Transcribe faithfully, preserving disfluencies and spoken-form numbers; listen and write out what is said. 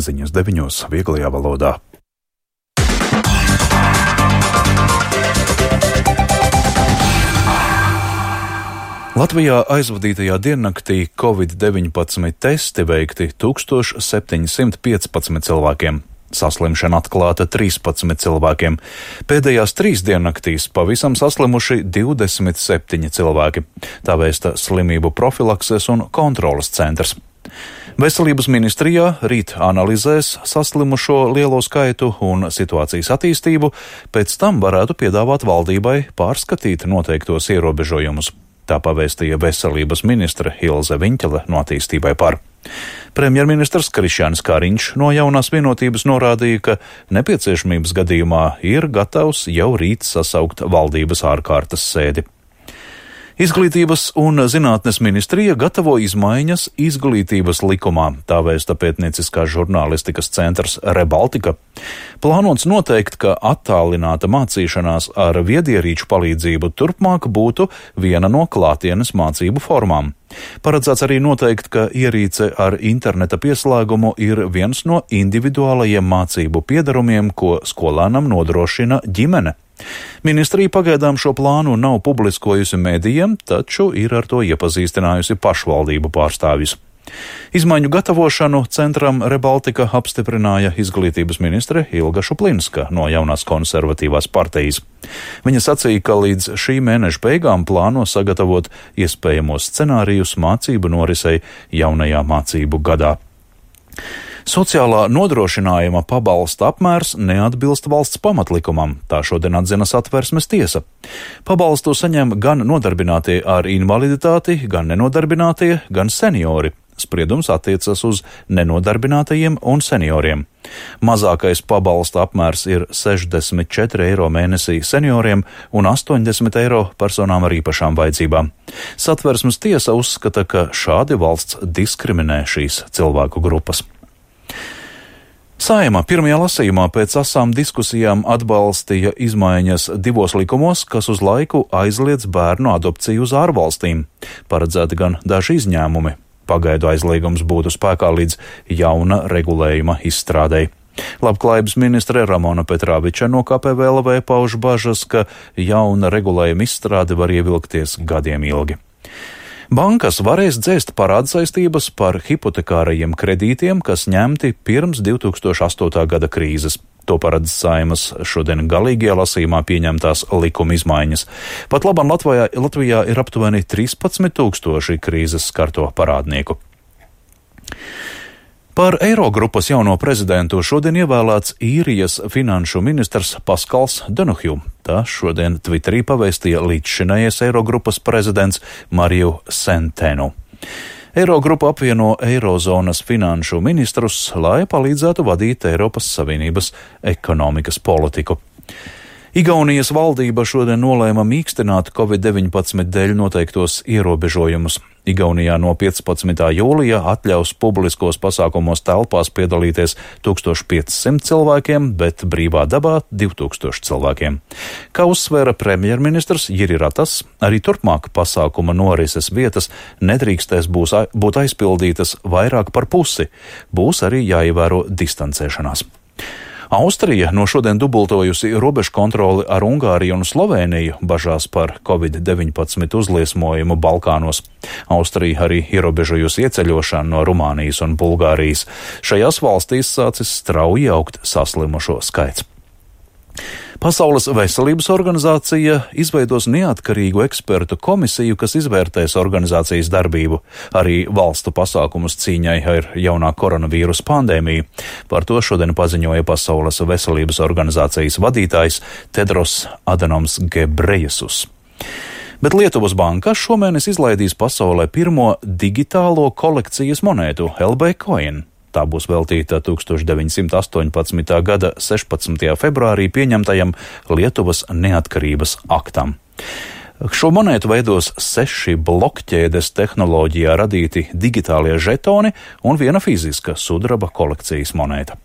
ziņas deviņos vieglajā valodā. Latvijā aizvadītajā diennaktī covid deviņpadsmit testi veikti tūkstoš septiņsimt piecpadsmit cilvēkiem. Saslimšana atklāta trīspadsmit cilvēkiem. Pēdējās trīs diennaktīs pavisam saslimuši divdesmit septiņi cilvēki. Tā vēsta Slimību profilakses un kontroles centrs. Veselības ministrijā rīt analizēs saslimušo lielo skaitu un situācijas attīstību, pēc tam varētu piedāvāt valdībai pārskatīt noteiktos ierobežojumus. Tā pavēstīja veselības ministre Ilze Viņķele no Attīstībai par. Premjerministrs Krišjānis Kariņš no Jaunās vienotības norādīja, ka nepieciešamības gadījumā ir gatavs jau rīt sasaukt valdības ārkārtas sēdi. Izglītības un zinātnes ministrija gatavo izmaiņas izglītības likumā, tā vēsta pētnieciskās žurnālistikas centrs Rebaltika. Plānots noteikt, ka attālināta mācīšanās ar viedierīču palīdzību turpmāk būtu viena no klātienes mācību formām. Paredzēts arī noteikt, ka ierīce ar interneta pieslēgumu ir viens no individuālajiem mācību piedarumiem, ko skolēnam nodrošina ģimene. Ministrija pagaidām šo plānu nav publiskojusi medijiem, taču ir ar to iepazīstinājusi pašvaldību pārstāvjus. Izmaiņu gatavošanu centram Rebaltika apstiprināja izglītības ministre Ilga Šuplinska no Jaunās konservatīvās partijas. Viņa sacīja, ka līdz šī mēneša beigām plāno sagatavot iespējamos scenārijus mācību norisei jaunajā mācību gadā. Sociālā nodrošinājuma pabalsta apmērs neatbilst valsts pamatlikumam, tā šodien atzina Satversmes tiesa. Pabalstu saņem gan nodarbinātie ar invaliditāti, gan nenodarbinātie, gan seniori. Spriedums attiecas uz nenodarbinātajiem un senioriem. Mazākais pabalsta apmērs ir sešdesmit četri eiro mēnesī senioriem un astoņdesmit eiro personām ar īpašām vajadzībām. Satversmes tiesa uzskata, ka šādi valsts diskriminē šīs cilvēku grupas. Saeima pirmajā lasījumā pēc asām diskusijām atbalstīja izmaiņas divos likumos, kas uz laiku aizliedz bērnu adopciju uz ārvalstīm. Paredzēti gan daži izņēmumi. Pagaidu aizliegums būtu spēkā līdz jauna regulējuma izstrādei. Labklājības ministre Ramona Petrāviča no K P V L V pauž bažas, ka jauna regulējuma izstrāde var ievilkties gadiem ilgi. Bankas varēs dzēst parādsaistības par hipotekārajiem kredītiem, kas ņemti pirms divi tūkstoši astotā gada krīzes. To paredz Saeimas šodien galīgajā lasījumā pieņemtās likuma izmaiņas. Pat labam Latvijā, Latvijā ir aptuveni trīspadsmit tūkstoši krīzes skarto parādnieku. Par Eirogrupas jauno prezidentu šodien ievēlēts īrijas finanšu ministrs Paskals Donohju. Tā šodien Twitterī pavēstīja līdzšinējais Eirogrupas prezidents Mariju Sentenu. Eirogrupa apvieno Eirozonas finanšu ministrus, lai palīdzētu vadīt Eiropas Savienības ekonomikas politiku. Igaunijas valdība šodien nolēma mīkstināt covid deviņpadsmit dēļ noteiktos ierobežojumus. Igaunijā no piecpadsmitā jūlijā atļaus publiskos pasākumos telpās piedalīties tūkstoš piecsimt cilvēkiem, bet brīvā dabā divi tūkstoši cilvēkiem. Kā uzsvēra premjerministrs Jiri Ratas, arī turpmāk pasākuma norises vietas nedrīkstēs būs, būt aizpildītas vairāk par pusi. Būs arī jāievēro distancēšanās. Austrija no šodien dubultojusi robežu kontroli ar Ungāriju un Slovēniju bažās par covid deviņpadsmit uzliesmojumu Balkānos. Austrija arī ierobežojusi ieceļošanu no Rumānijas un Bulgārijas. Šajās valstīs sācis strauji augt saslimušo skaits. Pasaules veselības organizācija izveidos neatkarīgu ekspertu komisiju, kas izvērtēs organizācijas darbību, arī valstu pasākumus cīņai ar jaunā koronavīrusa pandēmiju. Par to šodien paziņoja Pasaules veselības organizācijas vadītājs Tedros Adhanoms Ghebreyesus. Bet Lietuvas banka šomēnes izlaidīs pasaulē pirmo digitālo kolekcijas monētu L B Coin. Tā būs veltīta tūkstoš deviņsimt astoņpadsmitā gada sešpadsmitajā februārī pieņemtajam Lietuvas neatkarības aktam. Šo monētu veidos seši blokķēdes tehnoloģijā radīti digitālie žetoni un viena fiziska sudraba kolekcijas monēta.